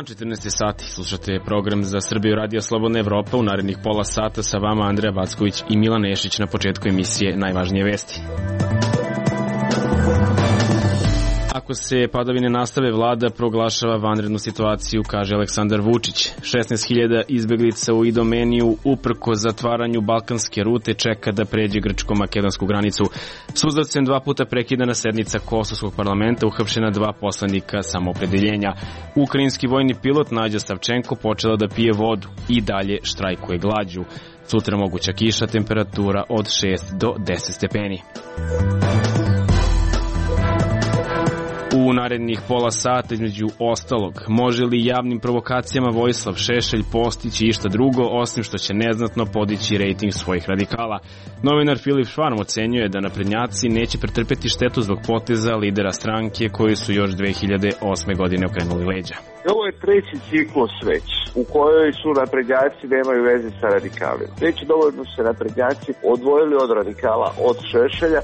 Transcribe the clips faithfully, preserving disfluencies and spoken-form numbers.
četrnaest sati, slušate program za Srbiju Radio Slobodna Evropa. U narednih pola sata sa vama Andreja Backović i Milan Nešić. Na početku emisije najvažnije vesti. Ako se padavine nastave, vlada proglašava vanrednu situaciju, kaže Aleksandar Vučić. šesnaest hiljada izbeglica u Idomeniju uprko zatvaranju balkanske rute čeka da pređe grčko-makedonsku granicu. Suzavcem dva puta prekidana sednica Kosovskog parlamenta, uhapšena dva poslanika samoopredeljenja. Ukrajinski vojni pilot Nađa Savčenko počela da pije vodu i dalje štrajkuje glađu. Sutra moguća kiša, temperatura od šest do deset stepeni. U narednih pola sata, između ostalog, može li javnim provokacijama Vojislav Šešelj postići išta drugo, osim što će neznatno podići rejting svojih radikala? Novinar Filip Švarm ocenjuje da naprednjaci neće pretrpeti štetu zbog poteza lidera stranke koji su još dve hiljade osme. godine okrenuli leđa. Ovo je treći ciklus već, u kojoj su naprednjaci nemaju veze sa radikalima. Već dovoljno se naprednjaci odvojili od radikala, od Šešelja.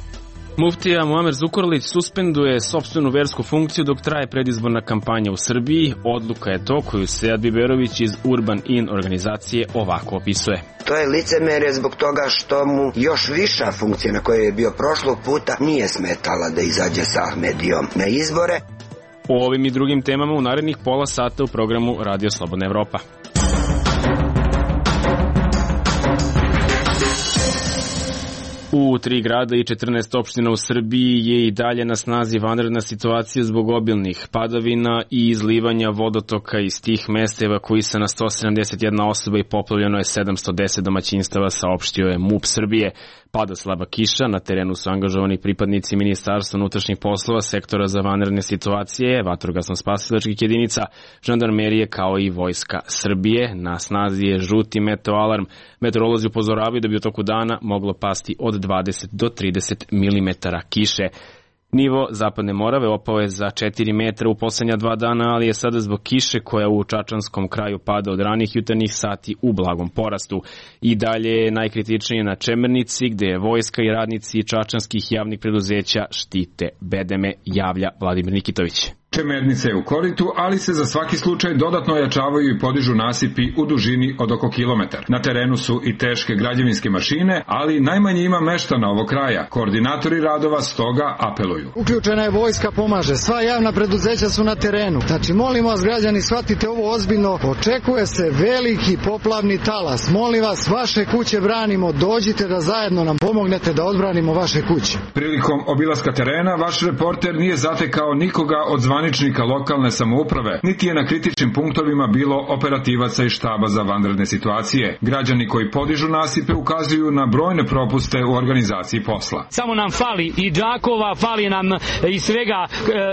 Muftija Muamer Zukorlić suspenduje sopstvenu versku funkciju dok traje predizborna kampanja u Srbiji. Odluka je to koju Sead Biberović iz Urban In organizacije ovako opisuje. To je licemerje zbog toga što mu još viša funkcija na kojoj je bio prošlog puta nije smetala da izađe sa Ahmedijom na izbore. O ovim i drugim temama u narednih pola sata u programu Radio Slobodna Evropa. U tri grada i četrnaest opština u Srbiji je i dalje na snazi vanredna situacija zbog obilnih padavina i izlivanja vodotoka iz tih mesta. Evakuisana sto sedamdeset jedna osoba i poplavljeno je sedamsto deset domaćinstava, saopštio je MUP Srbije. Pada slaba kiša, na terenu su angažovani pripadnici Ministarstva unutrašnjih poslova, sektora za vanredne situacije, vatrogasno-spasilačkih jedinica, žandarmerije kao i Vojska Srbije. Na snazi je žuti meteoalarm. Meteorolozi upozoravaju da bi u toku dana moglo pasti od dvadeset do trideset milimetara kiše. Nivo Zapadne Morave opao je za četiri metra u poslednja dva dana, ali je sada zbog kiše koja u čačanskom kraju pada od ranih jutarnjih sati u blagom porastu. I dalje je najkritičnije na Čemernici, gde je vojska i radnici čačanskih javnih preduzeća štite bedeme, javlja Vladimir Nikitović. Čemernica je u koritu, ali se za svaki slučaj dodatno ojačavaju i podižu nasipi u dužini od oko kilometar. Na terenu su i teške građevinske mašine, ali najmanje ima meštana ovog kraja. Koordinatori radova stoga apeluju. Uključena je vojska, pomaže. Sva javna preduzeća su na terenu. Znači, molimo vas građani, shvatite ovo ozbiljno. Očekuje se veliki poplavni talas. Molim vas, vaše kuće branimo. Dođite da zajedno nam pomognete da odbranimo vaše kuće. Prilikom obilaska terena, vaš reporter nije zatekao nikoga od zvaničnika lokalne samouprave, niti je na kritičnim punktovima bilo operativaca i štaba za vanredne situacije. Građani koji podižu nasipe ukazuju na brojne propuste u organizaciji posla. Samo nam fali i džakova, fali nam i svega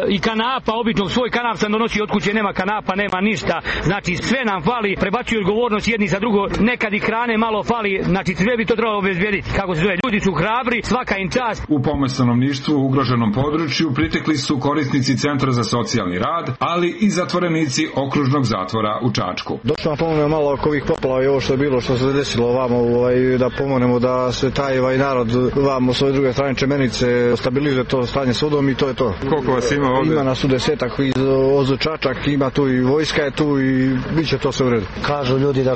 i kanapa, običnog svoj kanap sam donosi od kuće, nema kanapa, nema ništa. Znači sve nam fali, prebacuju odgovornost jedni za drugo, nekad i hrane malo fali, znači sve bi to trebalo obezbediti. Kako se zove, ljudi su hrabri, svaka im čast. U pomoć stanovništvu u ugroženom području pritekli su korisnici Centra za socijalni rad, ali i zatvorenici okružnog zatvora u Čačku. Došlo nam pomogne malo oko ovih poplava i ovo što je bilo, što se desilo ovamo, ovaj, da pomognemo da se taj ovaj narod vamo s ove druge strane Čemenice stabilizuje to stanje sudom i to je to. Koliko vas ima ovdje? Ima nas u desetak iz Ozu Čačak, ima tu i vojska je tu i bit će to sve u redu. Kažu ljudi da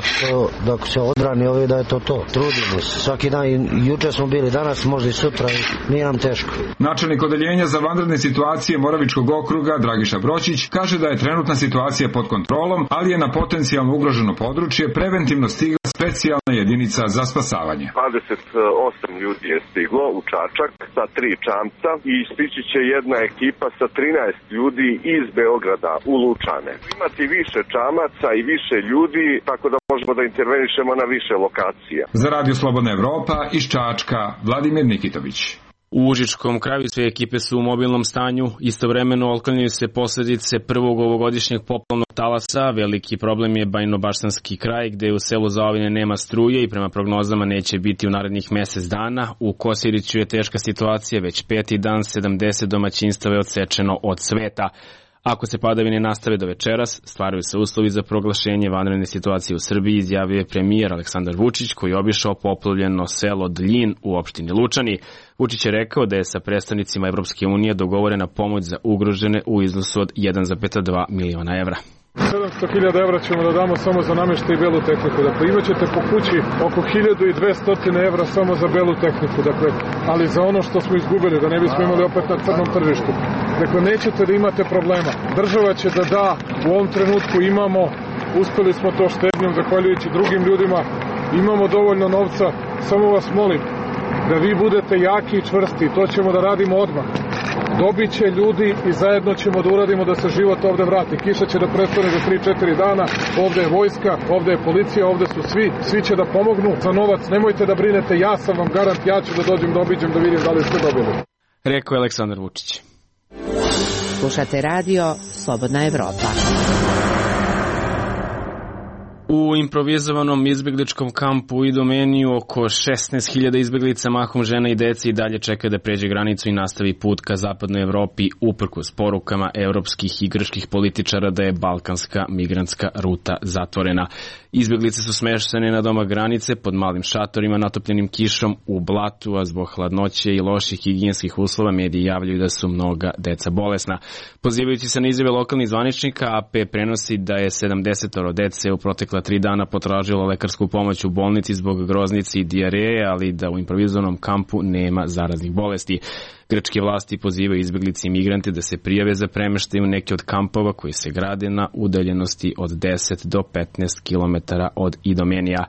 da se odbrani ovi da je to to. Trudimo se. Svaki dan, juče smo bili, danas možda i sutra, nije nam teško. Načelnik odeljenja za vanredne situacije Moravičkog okruga Dragiša Bročić kaže da je trenutna situacija pod kontrolom, ali je na potencijalno ugroženo područje preventivno stigla specijalna jedinica za spasavanje. dvadeset osam ljudi je stiglo u Čačak sa tri čamca i stići će jedna ekipa sa trinaest ljudi iz Beograda u Lučane. Imati više čamaca i više ljudi, tako da možemo da intervenišemo na više lokacija. Za Radio Slobodna Evropa iz Čačka, Vladimir Nikitović. U Užičkom kraju sve ekipe su u mobilnom stanju, istovremeno otklanjaju se posledice prvog ovogodišnjeg poplavnog talasa. Veliki problem je Bajnobaštanski kraj, gde u selu Zaovine nema struje i prema prognozama neće biti u narednih mesec dana. U Kosiriću je teška situacija, već peti dan sedamdeset domaćinstava je odsečeno od sveta. Ako se padavine nastave do večeras, stvaraju se uslovi za proglašenje vanredne situacije u Srbiji, izjavio je premijer Aleksandar Vučić, koji je obišao poplavljeno selo Dljin u opštini Lučani. Vučić je rekao da je sa predstavnicima Evropske unije dogovorena pomoć za ugrožene u iznosu od jedan zarez dva miliona evra. sedamsto hiljada evra ćemo da damo samo za namještaj i belu tehniku. Dakle, imat ćete po kući oko hiljadu dvesta evra samo za belu tehniku. Dakle, ali za ono što smo izgubili, da ne bismo imali opet na crnom tržištu. Dakle, nećete da imate problema. Država će da da, u ovom trenutku imamo, uspeli smo to štednjom, zahvaljujući drugim ljudima, imamo dovoljno novca, samo vas molim da vi budete jaki i čvrsti, to ćemo da radimo odmah. Dobit će ljudi i zajedno ćemo da uradimo da se život ovde vrati. Kiša će da prestane za tri četiri dana, ovde je vojska, ovde je policija, ovde su svi, svi će da pomognu. Za novac nemojte da brinete, ja sam vam garant, ja ću da dođem da obiđem da vidim da li ste dobili. Rekao je Aleksandar Vučić. Slušate radio Slobodna Evropa. U improvizovanom izbegličkom kampu u Idomeniju oko šesnaest hiljada izbeglica, mahom žena i dece, i dalje čeka da pređe granicu i nastavi put ka zapadnoj Evropi, uprkos porukama evropskih i grčkih političara da je balkanska migrantska ruta zatvorena. Izbeglice su smeštene na domak granice pod malim šatorima natopljenim kišom u blatu, a zbog hladnoće i loših higijenskih uslova mediji javljaju da su mnoga deca bolesna. Pozivajući se na izjave lokalnih zvaničnika, A P prenosi da je sedamdesetoro dece u protekla tri dana potražilo lekarsku pomoć u bolnici zbog groznice i dijareje, ali da u improvizovanom kampu nema zaraznih bolesti. Grčke vlasti pozivaju izbeglice i migrante da se prijave za premeštaj u neke od kampova koji se grade na udaljenosti od deset do petnaest kilometara od Idomenija.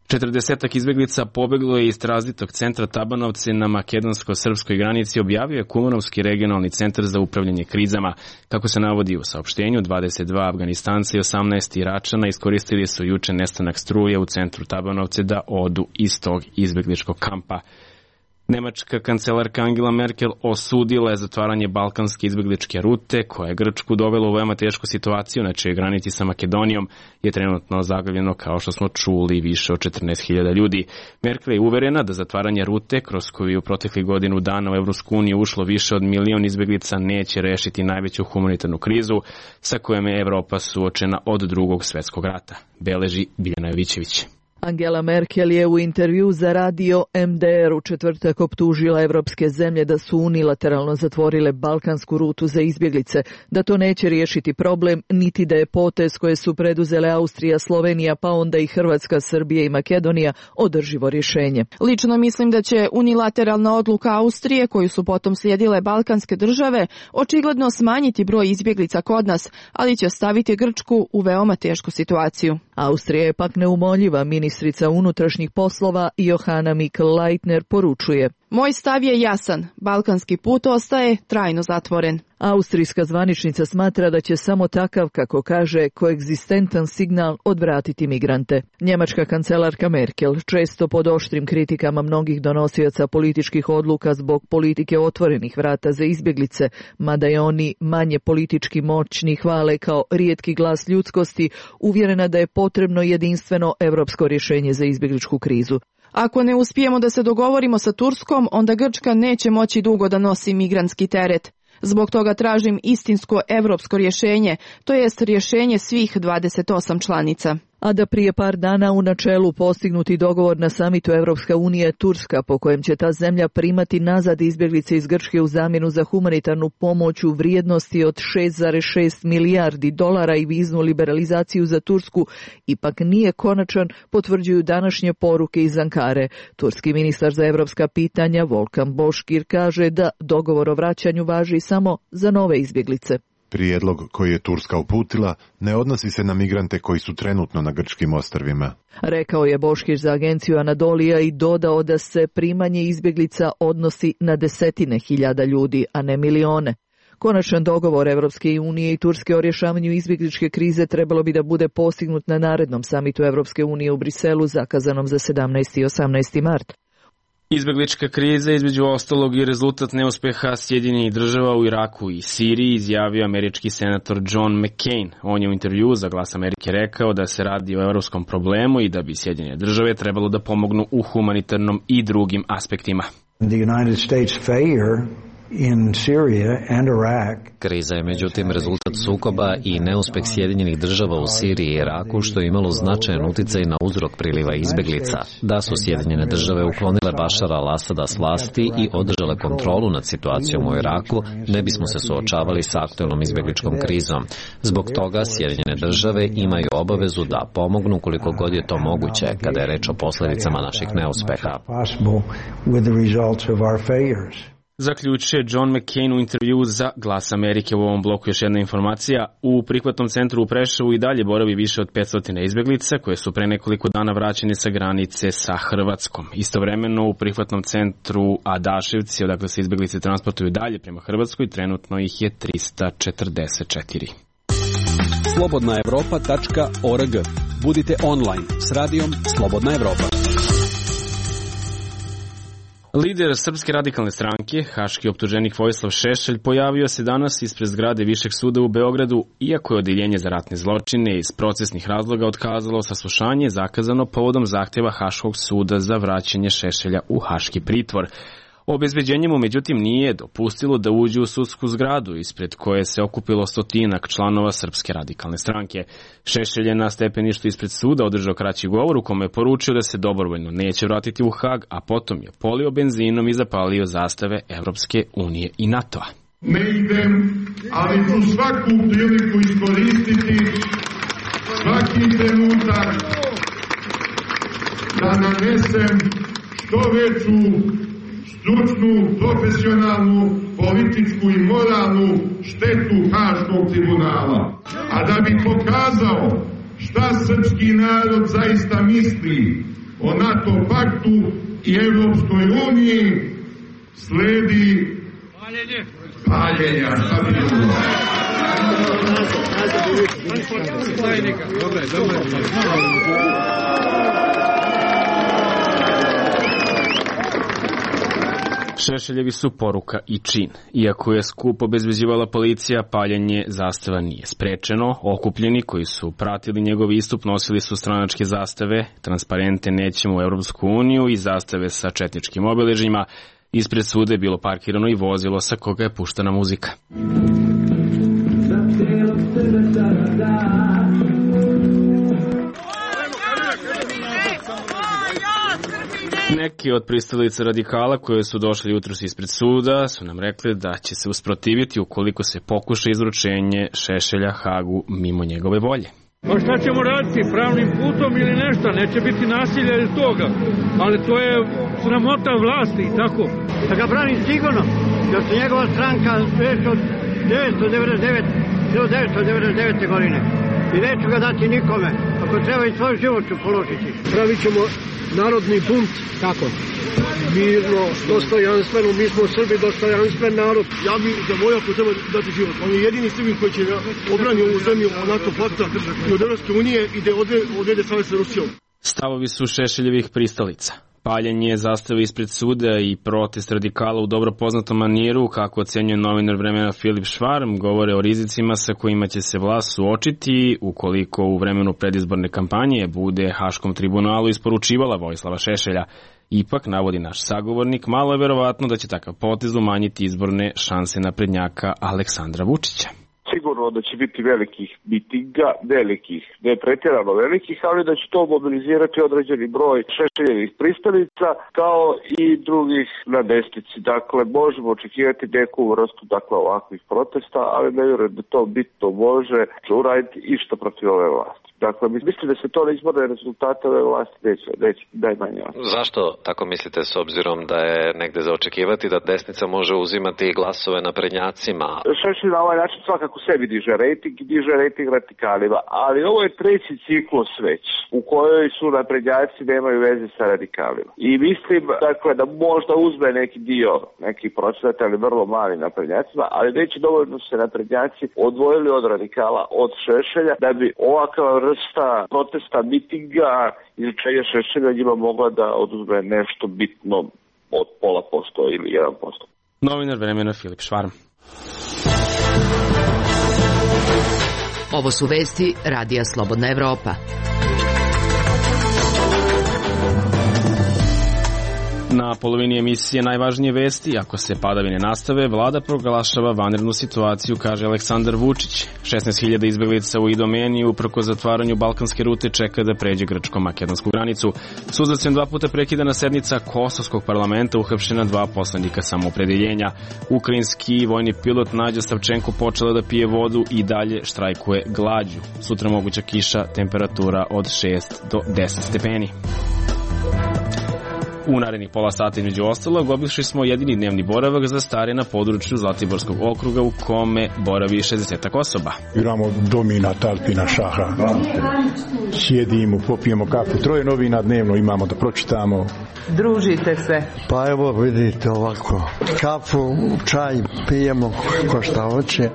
Četrdesetak izbeglica pobeglo je iz tranzitnog centra Tabanovce na makedonsko-srpskoj granici, objavio je Kumanovski regionalni centar za upravljanje krizama. Kako se navodi u saopštenju, dvadeset dva Afganistanca i osamnaest Iračana iskoristili su juče nestanak struje u centru Tabanovce da odu iz tog izbegličkog kampa. Nemačka kancelarka Angela Merkel osudila je zatvaranje balkanske izbegličke rute, koja je Grčku dovela u veoma tešku situaciju, na čijoj granici sa Makedonijom je trenutno zaglavljeno, kao što smo čuli, više od četrnaest hiljada ljudi. Merkel je uverena da zatvaranje rute, kroz koju je u proteklih godinu dana u Evropsku uniju ušlo više od milion izbeglica, neće rešiti najveću humanitarnu krizu sa kojom je Evropa suočena od drugog svetskog rata, beleži Biljana Jovićević. Angela Merkel je u intervju za radio M D R u četvrtak optužila evropske zemlje da su unilateralno zatvorile balkansku rutu za izbjeglice, da to neće riješiti problem, niti da je potez koje su preduzele Austrija, Slovenija, pa onda i Hrvatska, Srbija i Makedonija održivo rješenje. Lično mislim da će unilateralna odluka Austrije, koju su potom slijedile balkanske države, očigledno smanjiti broj izbjeglica kod nas, ali će staviti Grčku u veoma tešku situaciju. Austrija je pak neumoljiva. Ministrica unutrašnjih poslova Johanna Mikl-Leitner poručuje: Moj stav je jasan, balkanski put ostaje trajno zatvoren. Austrijska zvaničnica smatra da će samo takav, kako kaže, koegzistentan signal odvratiti migrante. Njemačka kancelarka Merkel, često pod oštrim kritikama mnogih donosioca političkih odluka zbog politike otvorenih vrata za izbjeglice, mada je oni manje politički moćni hvale kao rijetki glas ljudskosti, uvjerena da je potrebno jedinstveno evropsko rješenje za izbjegličku krizu. Ako ne uspijemo da se dogovorimo sa Turskom, onda Grčka neće moći dugo da nosi migrantski teret. Zbog toga tražim istinsko evropsko rješenje, to jest rješenje svih dvadeset osam članica. A da prije par dana u načelu postignuti dogovor na samitu Evropska unija Turska, po kojem će ta zemlja primati nazad izbjeglice iz Grčke u zamjenu za humanitarnu pomoć u vrijednosti od šest zarez šest milijardi dolara i viznu liberalizaciju za Tursku, ipak nije konačan, potvrđuju današnje poruke iz Ankare. Turski ministar za evropska pitanja Volkan Boškir kaže da dogovor o vraćanju važi samo za nove izbjeglice. Prijedlog koji je Turska uputila ne odnosi se na migrante koji su trenutno na grčkim ostrvima. Rekao je Boškir za agenciju Anadolija i dodao da se primanje izbjeglica odnosi na desetine hiljada ljudi, a ne milione. Konačan dogovor Evropske unije i Turske o rješavanju izbjegličke krize trebalo bi da bude postignut na narednom samitu Evropske unije u Briselu, zakazanom za sedamnaesti i osamnaesti mart. Izbjeglička kriza, između ostalog, i rezultat neuspeha Sjedinjenih država u Iraku i Siriji, izjavio američki senator John McCain. On je u intervju za Glas Amerike rekao da se radi o evropskom problemu i da bi Sjedinjene države trebalo da pomognu u humanitarnom i drugim aspektima. The United States failure in Syria and Iraq. Kriza je međutim rezultat sukoba i neuspeh Sjedinjenih država u Siriji i Iraku, što je imalo značajan uticaj na uzrok priliva izbeglica. Da su Sjedinjene države uklonile Bašara al-Asada s vlasti i održale kontrolu nad situacijom u Iraku, ne bismo se suočavali sa aktuelnom izbegličkom krizom. Zbog toga Sjedinjene države imaju obavezu da pomognu koliko god je to moguće kada je reč o posljedicama naših neuspeha. Zaključuje John McCain u intervju za Glas Amerike. U ovom bloku još jedna informacija. U prihvatnom centru u Preševu i dalje boravi više od petsto izbeglica koje su pre nekoliko dana vraćene sa granice sa Hrvatskom. Istovremeno u prihvatnom centru Adaševci, odakle se izbeglice transportuju dalje prema Hrvatskoj, trenutno ih je trista četrdeset četiri. slobodna evropa tačka org. Budite online s radijom Slobodna Evropa. Lider Srpske radikalne stranke, haški optuženik Vojislav Šešelj, pojavio se danas ispred zgrade Višeg suda u Beogradu, iako je odeljenje za ratne zločine iz procesnih razloga otkazalo saslušanje zakazano povodom zahtjeva Haškog suda za vraćanje Šešelja u haški pritvor. Obezbeđenje mu međutim nije dopustilo da uđe u sudsku zgradu ispred koje se okupilo stotinak članova Srpske radikalne stranke. Šešelj je na stepeništu ispred suda održao kraći govor u kome je poručio da se dobrovoljno neće vratiti u Hag, a potom je polio benzinom i zapalio zastave Evropske unije i NATO-a. Ne idem, ali ću svaku priliku iskoristiti, svaki trenutak da nanesem što veću stručnu, profesionalnu, političku i moralnu štetu Haškog tribunala. A da bi pokazao šta srpski narod zaista misli o NATO paktu i Evropskoj uniji, sledi paljenja. Šta bi bilo? Šešeljevi su poruka i čin. Iako je skup obezbeđivala policija, paljenje zastava nije sprečeno. Okupljeni koji su pratili njegov istup nosili su stranačke zastave, transparente nećemo u Europsku uniju i zastave sa četničkim obeležjima. Ispred suda je bilo parkirano i vozilo sa koga je puštana muzika. Neki od pristalica radikala koje su došli jutros ispred suda su nam rekli da će se usprotiviti ukoliko se pokuša izručenje Šešelja Hagu mimo njegove volje. Pa šta ćemo raditi, pravnim putom ili nešto, neće biti nasilja ili toga, ali to je sramota vlasti i tako. Da ga branim sigurno, jer se njegova stranka već od devetsto devedeset devete godine i neću ga dati nikome, ako treba i svoj život ću položiti. Pravit ćemo narodni bunt, kako? Mirno, dostojanstveno, mi smo Srbi, dostojanstven narod. Ja bi za moj ako treba dati život. On je jedini Srbin koji će obrani ovu zemlju od NATO pakta i od Evropske unije i da odvede savez sa Rusijom. Stavovi su Šešeljevih pristalica. Paljenje zastave ispred suda i protest radikala u dobro poznatom maniru, kako ocenjuje novinar Vremena Filip Švarm, govore o rizicima sa kojima će se vlast suočiti ukoliko u vremenu predizborne kampanje bude Haškom tribunalu isporučivala Vojislava Šešelja. Ipak, navodi naš sagovornik, malo je verovatno da će takav potez umanjiti izborne šanse naprednjaka Aleksandra Vučića. Sigurno da će biti velikih mitinga, velikih, ne pretjerano velikih, ali da će to mobilizirati određeni broj Šešeljevih pristalica kao i drugih na desnici. Dakle, možemo očekivati neku vrstu dakle, ovakvih protesta, ali ne vjerujem da to bitno može uraditi išta protiv ove vlasti. Dakle, mislim da se to na izborne rezultate ove vlasti neće, neće najmanje. Zašto tako mislite, s obzirom da je negde za očekivati da desnica može uzimati glasove naprednjacima? Šešelj na ovaj način svakako sebi diže rejting i diže rejting radikalima, ali ovo je treći ciklus već u kojoj su naprednjaci nemaju veze sa radikalima. I mislim dakle, da možda uzme neki dio, neki procenat, ali vrlo mali naprednjacima, ali neće dovoljno se naprednjaci odvojili od radikala, od Šešelja, da bi ovakav vrsta protesta, mitinga, izručenja Šešelja njima mogla da oduzme nešto bitno od pola posto ili jedan posto. Novinar Vremena Filip Švarm. Ovo su vesti Radija Slobodna Evropa. Na polovini emisije najvažnije vesti, ako se padavine nastave, vlada proglašava vanrednu situaciju, kaže Aleksandar Vučić. šesnaest hiljada izbeglica u Idomeniji uprkos zatvaranju balkanske rute čeka da pređe grčko-makedonsku granicu. S uzvraćajem dva puta prekidana sednica Kosovskog parlamenta, uhapšena dva poslanika samoopredeljenja. Ukrajinski vojni pilot Nađa Savčenko počela da pije vodu i dalje štrajkuje glađu. Sutra moguća kiša, temperatura od šest do deset stepeni. U narednih pola sata između ostalog obišli smo jedini dnevni boravak za stare na području Zlatiborskog okruga u kome boravi šezdesetak osoba. Igramo domina, talpina, šaha. Sjedimo, popijemo kafu. Troje novina dnevno imamo da pročitamo. Družite se. Pa evo vidite ovako. Kafu, čaj pijemo ko šta hoće.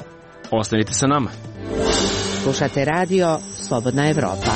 Ostanite sa nama. Slušate radio Slobodna Evropa.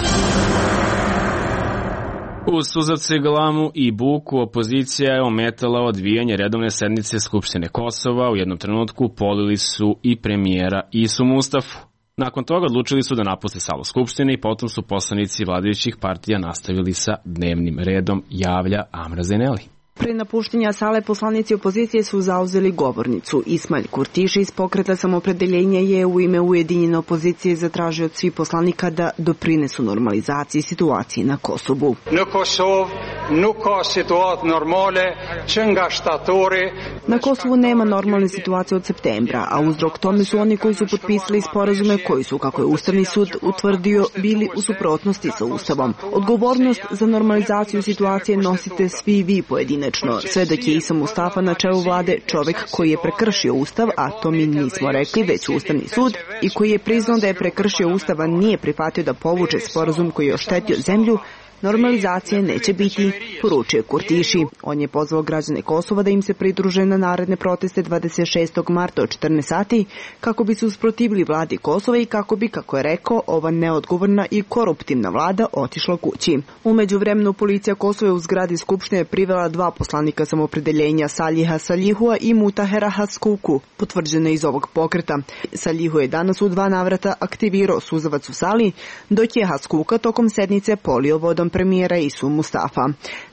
Uz suzavce, glamu i buku opozicija je ometala odvijanje redovne sednice Skupštine Kosova. U jednom trenutku polili su i premijera Isu Mustafu. Nakon toga odlučili su da napuste salu Skupštine i potom su poslanici vladajućih partija nastavili sa dnevnim redom, javlja Amra Zeneli. Pre napuštenja sale poslanici opozicije su zauzeli govornicu. Ismail Kurtiši iz Pokreta samoopredeljenja je u ime ujedinjene opozicije zatražio od svih poslanika da doprinesu normalizaciji situacije na Kosovu. Na Kosov nuk ka situatë normale që nga shtatori. Na Kosovu nema normalne situacije od septembra, a uzrok tome su oni koji su potpisali sporazume koji su, kako je Ustavni sud utvrdio, bili u suprotnosti sa Ustavom. Odgovornost za normalizaciju situacije nosite svi vi pojedine. Sve dok je Isa Mustafa na čelu vlade čovjek koji je prekršio Ustav, a to mi nismo rekli, već Ustavni sud, i koji je priznao da je prekršio Ustav, a nije prihvatio da povuče sporazum koji je oštetio zemlju, normalizacije neće biti, poručio Kurtiši. On je pozvao građane Kosova da im se pridruže na naredne proteste dvadeset šestog marta od četrnaest sati kako bi se usprotivili vladi Kosova i kako bi, kako je rekao, ova neodgovorna i koruptivna vlada otišla kući. U međuvremenu policija Kosova u zgradi Skupštine privela dva poslanika samoopredeljenja, Saliha Salihua i Mutahera Haskuku, potvrđene iz ovog pokreta. Salihu je danas u dva navrata aktivirao suzavac u sali, dok je Haskuka tokom sednice polio vodom premijera Isu Mustafa.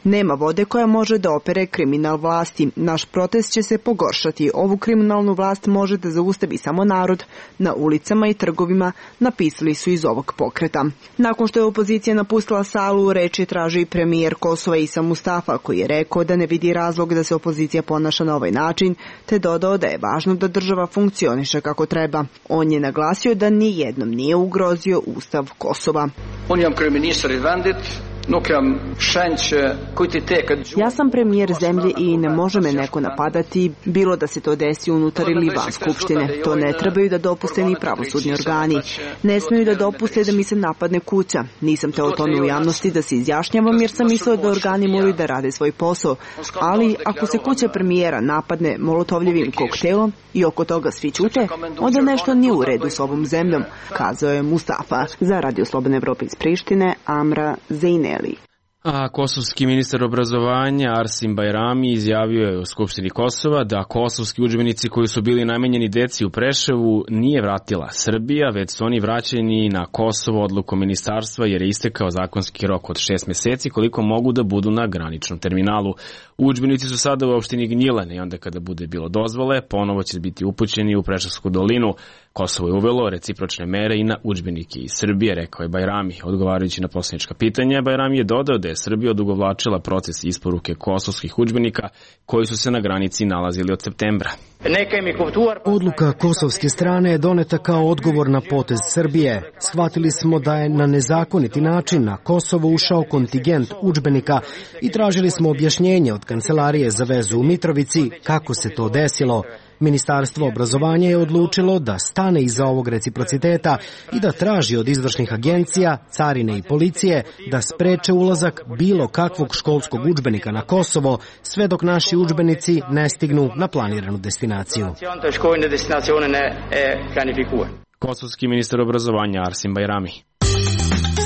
Nema vode koja može da opere kriminal vlasti. Naš protest će se pogoršati. Ovu kriminalnu vlast može da zaustavi samo narod. Na ulicama i trgovima, napisali su iz ovog pokreta. Nakon što je opozicija napustila salu, reč je tražio i premijer Kosova Isa Mustafa, koji je rekao da ne vidi razlog da se opozicija ponaša na ovaj način, te dodao da je važno da država funkcioniše kako treba. On je naglasio da ni jednom nije ugrozio Ustav Kosova. On jam kryeministër i vendit. Ja sam premijer zemlje i ne može me neko napadati, bilo da se to desi unutar ili van Skupštine. To ne trebaju da dopuste ni pravosudni organi. Ne smiju da dopuste da mi se napadne kuća. Nisam te o tome u javnosti da se izjašnjavam jer sam mislio da organi moraju da rade svoj posao. Ali ako se kuća premijera napadne molotovljevim koktelom i oko toga svi ćute, onda nešto nije u redu s ovom zemljom, kazao je Mustafa. Za Radio Slobodne Evrope iz Prištine, Amra Zeneli. A kosovski ministar obrazovanja Arsim Bajrami izjavio je u Skupštini Kosova da kosovski udžbenici koji su bili namenjeni deci u Preševu nije vratila Srbija, već su oni vraćeni na Kosovo odlukom ministarstva jer je istekao zakonski rok od šest meseci koliko mogu da budu na graničnom terminalu. Udžbenici su sada u opštini Gnjilane i onda kada bude bilo dozvole, ponovo će biti upućeni u Preševsku dolinu. Kosovo je uvelo recipročne mere i na udžbenike iz Srbije, rekao je Bajrami. Odgovarajući na poslanička pitanja, Bajrami je dodao da je Srbija odugovlačila proces isporuke kosovskih udžbenika koji su se na granici nalazili od septembra. Odluka kosovske strane je doneta kao odgovor na potez Srbije. Shvatili smo da je na nezakoniti način na Kosovo ušao kontingent udžbenika i tražili smo objašnjenje od Kancelarije za vezu u Mitrovici kako se to desilo. Ministarstvo obrazovanja je odlučilo da stane iza ovog reciprociteta i da traži od izvršnih agencija, carine i policije da spreče ulazak bilo kakvog školskog udžbenika na Kosovo sve dok naši udžbenici ne stignu na planiranu destinaciju. Kosovski ministar obrazovanja Arsim Bajrami.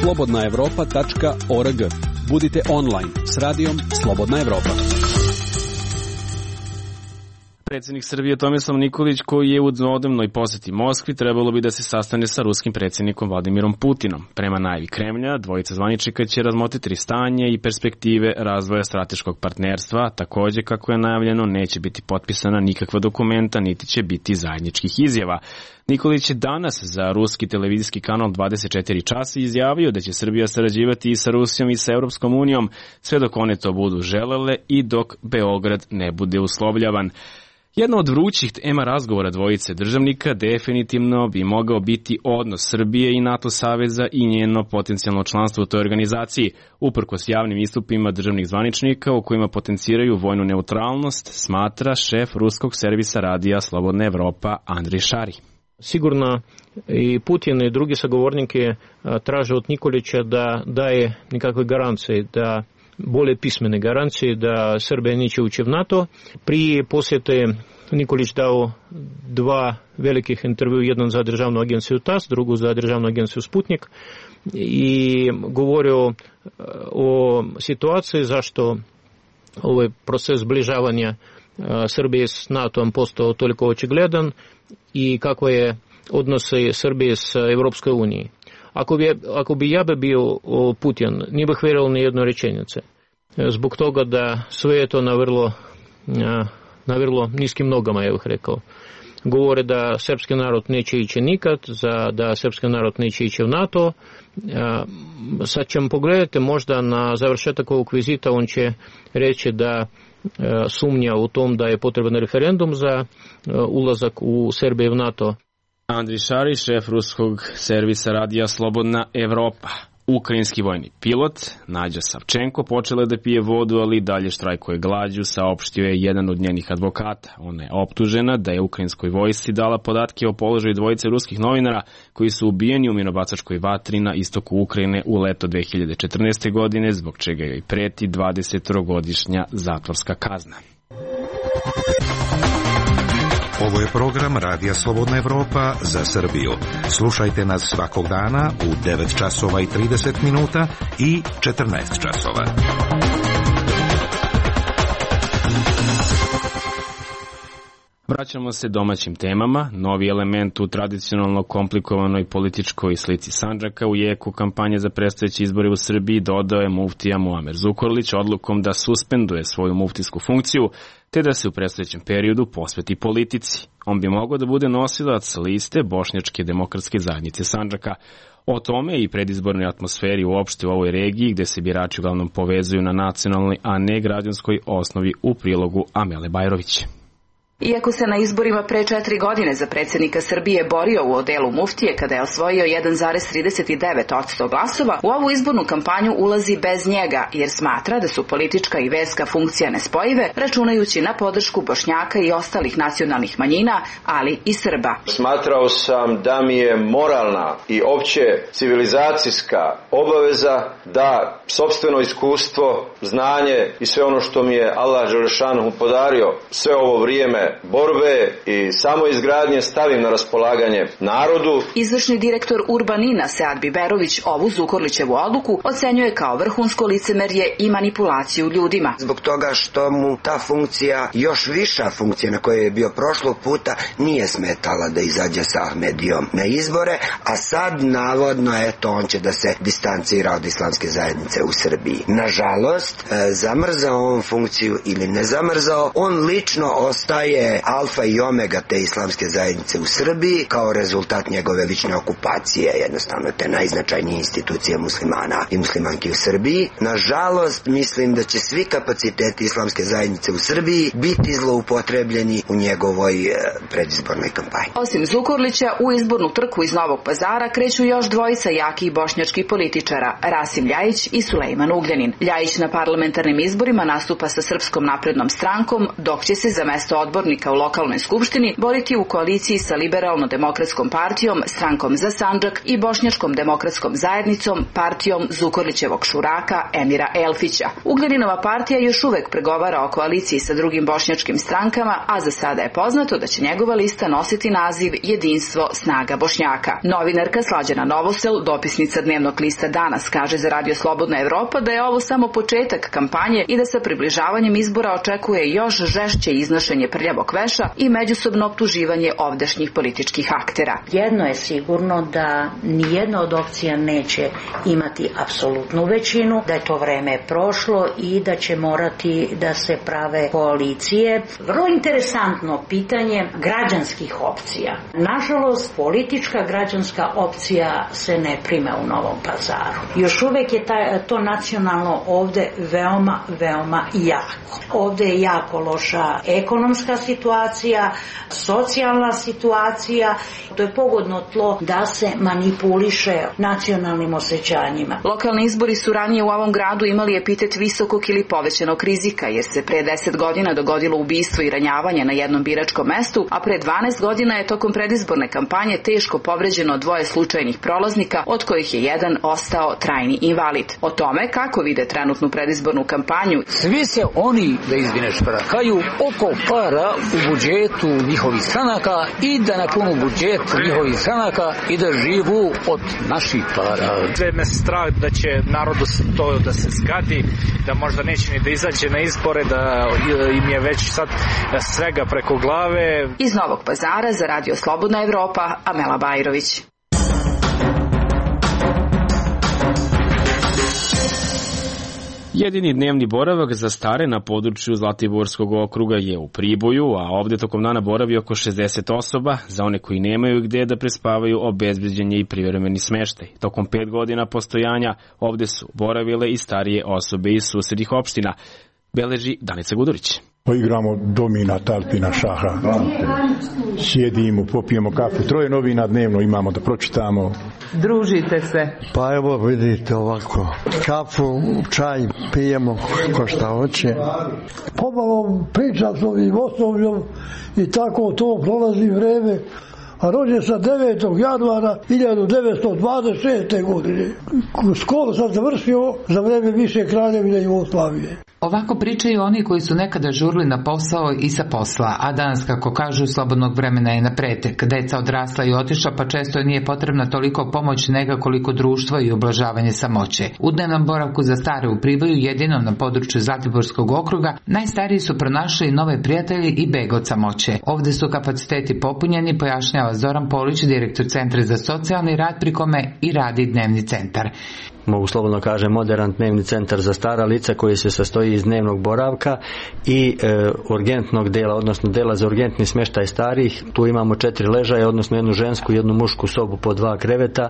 slobodna evropa tačka org. Budite online s radijom Slobodna Evropa. Predsjednik Srbije Tomislav Nikolić, koji je u dvodnevnoj poseti Moskvi, trebalo bi da se sastane sa ruskim predsjednikom Vladimirom Putinom. Prema najavi Kremlja, dvojica zvaničnika će razmotriti stanje i perspektive razvoja strateškog partnerstva. Takođe, kako je najavljeno, neće biti potpisana nikakva dokumenta, niti će biti zajedničkih izjava. Nikolić je danas za ruski televizijski kanal dvadeset četiri časa izjavio da će Srbija sarađivati i sa Rusijom i sa Europskom unijom, sve dok one to budu želele i dok Beograd ne bude uslovljavan. Jedna od vrućih tema razgovora dvojice državnika definitivno bi mogao biti odnos Srbije i NATO saveza i njeno potencijalno članstvo u toj organizaciji, uprkos javnim istupima državnih zvaničnika u kojima potenciraju vojnu neutralnost, smatra šef ruskog servisa radija Slobodna Evropa Andrej Šari. Sigurno i Putin i drugi sagovornike traže od Nikolića da daje nekakve garancije, da bolje pismene garancije da Srbija neće ući u NATO. Prije posjete Nikolić dao dva velikih intervju, jedan za državnu agenciju T A S, drugu za državnu agenciju Sputnik, i govorio o situaciji zašto ovaj proces zbližavanja Srbije s NATO-om postao toliko očigledan i kako je odnose Srbije s Evropskoj uniji. Ako bi, ako bi ja bi bio Putin, nije bih vjerovao ni jednu rečenicu. Zbog toga da sve je to na vrlo, na vrlo niskim nogama, ja bih rekao. Govore da srpski narod neće ići nikad, za, da srpski narod neće ići u NATO. Sad ćemo pogledati, možda na završetak ovog vizita on će reći da sumnja u tom da je potreban referendum za ulazak u Srbiju u NATO. Andrej Šari, šef ruskog servisa radija Slobodna Evropa. Ukrajinski vojni pilot Nađa Savčenko počela je da pije vodu, ali dalje štrajkuje glađu, saopštio je jedan od njenih advokata. Ona je optužena da je ukrajinskoj vojsci dala podatke o položaju dvojice ruskih novinara koji su ubijeni u minobacačkoj vatri na istoku Ukrajine u leto dve hiljade četrnaeste. godine, zbog čega joj preti dvadesetogodišnja zatvorska kazna. Ovo je program Radija Slobodna Evropa za Srbiju. Slušajte nas svakog dana u devet časova i trideset minuta i četrnaest časova. Vraćamo se domaćim temama. Novi element u tradicionalno komplikovanoj političkoj slici Sandžaka u jeku kampanje za predstojeće izbore u Srbiji dodao je muftija Muamer Zukorlić odlukom da suspenduje svoju muftijsku funkciju, te da se u predstojećem periodu posveti politici. On bi mogao da bude nosilac liste Bošnjačke demokratske zajednice Sandžaka. O tome i predizbornoj atmosferi uopšte u ovoj regiji, gde se birači uglavnom povezuju na nacionalnoj, a ne građanskoj osnovi, u prilogu Amele Bajrović. Iako se na izborima pre četiri godine za predsjednika Srbije borio u odelu muftije kada je osvojio jedan zarez trideset devet posto glasova, u ovu izbornu kampanju ulazi bez njega jer smatra da su politička i verska funkcija nespojive, računajući na podršku Bošnjaka i ostalih nacionalnih manjina, ali i Srba. Smatrao sam da mi je moralna i opće civilizacijska obaveza da sopstveno iskustvo, znanje i sve ono što mi je Allah Đelešanu podario sve ovo vrijeme borbe i samoizgradnje stavim na raspolaganje narodu. Izvršni direktor Urbanina Sead Biberović ovu Zukorlićevu odluku ocenjuje kao vrhunsko licemerje i manipulaciju ljudima. Zbog toga što mu ta funkcija, još viša funkcija na kojoj je bio prošlog puta, nije smetala da izađe sa Ahmedijom na izbore, a sad navodno eto on će da se distancira od islamske zajednice u Srbiji. Nažalost, zamrzao on funkciju ili ne zamrzao, on lično ostaje je alfa i omega te islamske zajednice u Srbiji kao rezultat njegove lične okupacije, jednostavno te najznačajnije institucije muslimana i muslimanki u Srbiji. Nažalost, mislim da će svi kapaciteti islamske zajednice u Srbiji biti zloupotrebljeni u njegovoj predizbornoj kampanji. Osim Zukorlića, u izbornu trku iz Novog Pazara kreću još dvojica jakih bošnjačkih političara, Rasim Ljajić i Sulejman Ugljanin. Ljajić na parlamentarnim izborima nastupa sa Srpskom naprednom strankom, dok će se za mesto odbornika u lokalnoj skupštini boriti u koaliciji sa Liberalno-demokratskom partijom, Strankom za Sandžak i Bošnjačkom demokratskom zajednicom, partijom Zukorlićevog šuraka Emira Elfića. Ugljaninova partija još uvek pregovara o koaliciji sa drugim bošnjačkim strankama, a za sada je poznato da će njegova lista nositi naziv Jedinstvo snaga Bošnjaka. Novinarka Slađana Novosel, dopisnica dnevnog lista Danas, kaže za Radio Slobodna Evropa da je ovo samo početak kampanje i da sa približavanjem izbora očekuje još žešće iznošenje prljavog gnjevog veša i međusobno optuživanje ovdašnjih političkih aktera. Jedno je sigurno da nijedna od opcija neće imati apsolutnu većinu, da je to vreme prošlo i da će morati da se prave koalicije. Vrlo interesantno pitanje građanskih opcija. Nažalost, politička građanska opcija se ne prime u Novom Pazaru. Još uvek je taj, to nacionalno ovde veoma, veoma jako. Ovde je jako loša ekonomska situacija, socijalna situacija. To je pogodno tlo da se manipuliše nacionalnim osjećanjima. Lokalni izbori su ranije u ovom gradu imali epitet visokog ili povećanog rizika, jer se pre deset godina dogodilo ubistvo i ranjavanje na jednom biračkom mestu, a pre dvanaest godina je tokom predizborne kampanje teško povređeno dvoje slučajnih prolaznika, od kojih je jedan ostao trajni invalid. O tome kako vide trenutnu predizbornu kampanju. Svi se oni, da izvine šprahaju, oko para u budžetu njihovih stranaka i da napunu budžet njihovih stranaka i da živu od naših para. Sve me strah da će narodu to da se zgadi, da možda neće ni da izađe na izbore, da im je već sad svega preko glave. Iz Novog Pazara za Radio Slobodna Evropa, Amela Bajrović. Jedini dnevni boravak za stare na području Zlatiborskog okruga je u Priboju, a ovde tokom dana boravi oko šezdeset osoba. Za one koji nemaju gde da prespavaju, obezbeđen je i privremeni smeštaj. Tokom pet godina postojanja ovde su boravile i starije osobe iz susednih opština, beleži Danica Gudurić. Igramo domina, talpina, šaha. Sjedimo, popijemo kafu. Troje novina dnevno imamo da pročitamo. Družite se. Pa evo vidite ovako. Kafu, čaj pijemo ko šta hoće. Pomalo pričam s ovim osobljem i tako to prolazi vreme. A rođen sam devetog januara hiljadu devetsto dvadeset šeste. godine. Školu sam završio za vreme više Kraljevine Jugoslavije. Ovako pričaju oni koji su nekada žurili na posao i sa posla, a danas, kako kažu, slobodnog vremena je na pretek. Deca odrasla i otišla, pa često nije potrebna toliko pomoć nega koliko društvo i ublažavanje samoće. U dnevnom boravku za stare u Priboju, jedinom na području Zlatiborskog okruga, najstariji su pronašli nove prijatelji i beg od samoće. Ovde su kapaciteti popunjeni, pojašnjava Zoran Polić, direktor Centra za socijalni rad, pri kome i radi dnevni centar. Mogu slobodno kažem moderan dnevni centar za stara lica koji se sastoji iz dnevnog boravka i e, urgentnog dela, odnosno dela za urgentni smještaj starih. Tu imamo četiri ležaja, odnosno jednu žensku i jednu mušku sobu po dva kreveta.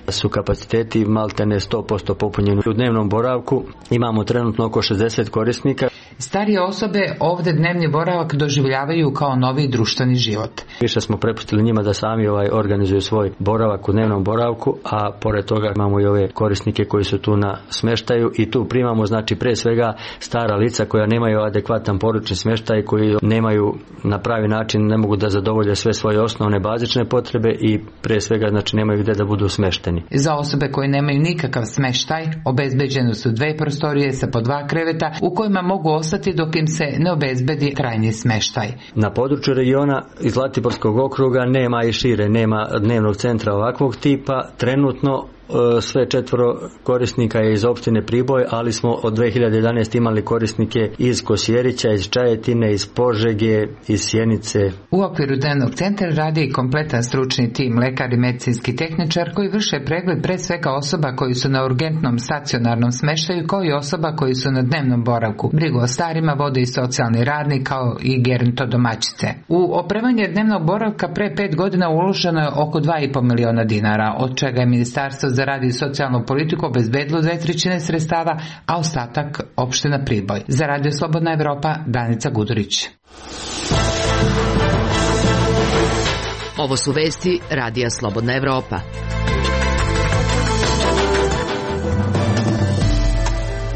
Su kapaciteti maltene sto posto popunjeni. U dnevnom boravku imamo trenutno oko šezdeset korisnika. Starije osobe ovde dnevni boravak doživljavaju kao novi društveni život. Više smo prepustili njima da sami ovaj organizuju svoj boravak u dnevnom boravku, a pored toga imamo i ove korisnike koji su tu na smještaju i tu primamo znači pre svega stara lica koja nemaju adekvatan poručni smještaj, koji nemaju na pravi način, ne mogu da zadovolje sve svoje osnovne bazične potrebe i pre svega znači nemaju gde da budu smešteni. Za osobe koje nemaju nikakav smještaj obezbeđene su dve prostorije sa po dva kreveta u kojima mogu ostati dok im se ne obezbedi trajni smještaj. Na području regiona iz Zlatiborskog okruga nema i šire, nema dnevnog centra ovakvog tipa. Trenutno sve četvoro korisnika je iz opštine Priboj, ali smo od dve hiljade jedanaeste. imali korisnike iz Kosjerića, iz Čajetine, iz Požege, iz Sjenice. U okviru dnevnog centra radi i kompletan stručni tim, lekar i medicinski tehničar koji vrše pregled pre svega osoba koji su na urgentnom stacionarnom smeštaju, kao i osoba koji su na dnevnom boravku. Brigu o starima vode i socijalni radnik, kao i gerontodomaćice. U opremanje dnevnog boravka pre pet godina uloženo je oko dva i po miliona dinara, od čega je Ministarstvo za rad i socijalnu politiku obezbedilo dve trećine sredstava, a ostatak opština Priboj. Za Radio Slobodna Evropa, Danica Gudurić. Ovo su vesti Radija Slobodna Evropa.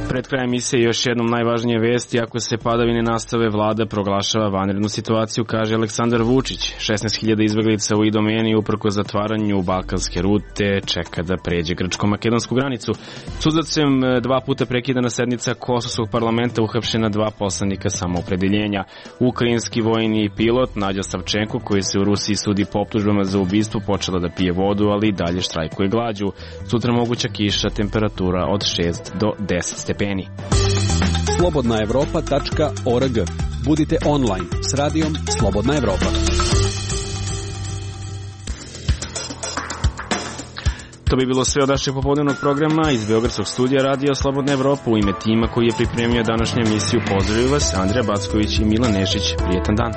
Pred krajem emisije još jednom najvažnije vesti: ako se padavine nastave, vlada proglašava vanrednu situaciju, kaže Aleksandar Vučić. šesnaest hiljada izbeglica u Idomeni uprkos zatvaranju balkanske rute čeka da pređe grčko-makedonsku granicu. Suzavcem dva puta prekidana sednica Kosovskog parlamenta, uhapšena dva poslanika samoopredeljenja. Ukrajinski vojni pilot Nadja Savčenko, koji se u Rusiji sudi po optužbama za ubistvo, počela da pije vodu, ali i dalje štrajkuje glađu. Sutra moguća kiša, temperatura od šest do deset stepeni. slobodna evropa tačka org. Budite online s radijom Slobodna Evropa. To bi bilo sve od našeg popodnevnog programa iz Beogradskog studija Radija Slobodna Evropa. U ime tima koji je pripremio današnju emisiju pozdravljaju vas Andrija Backović i Milan Nešić. Prijetan dan.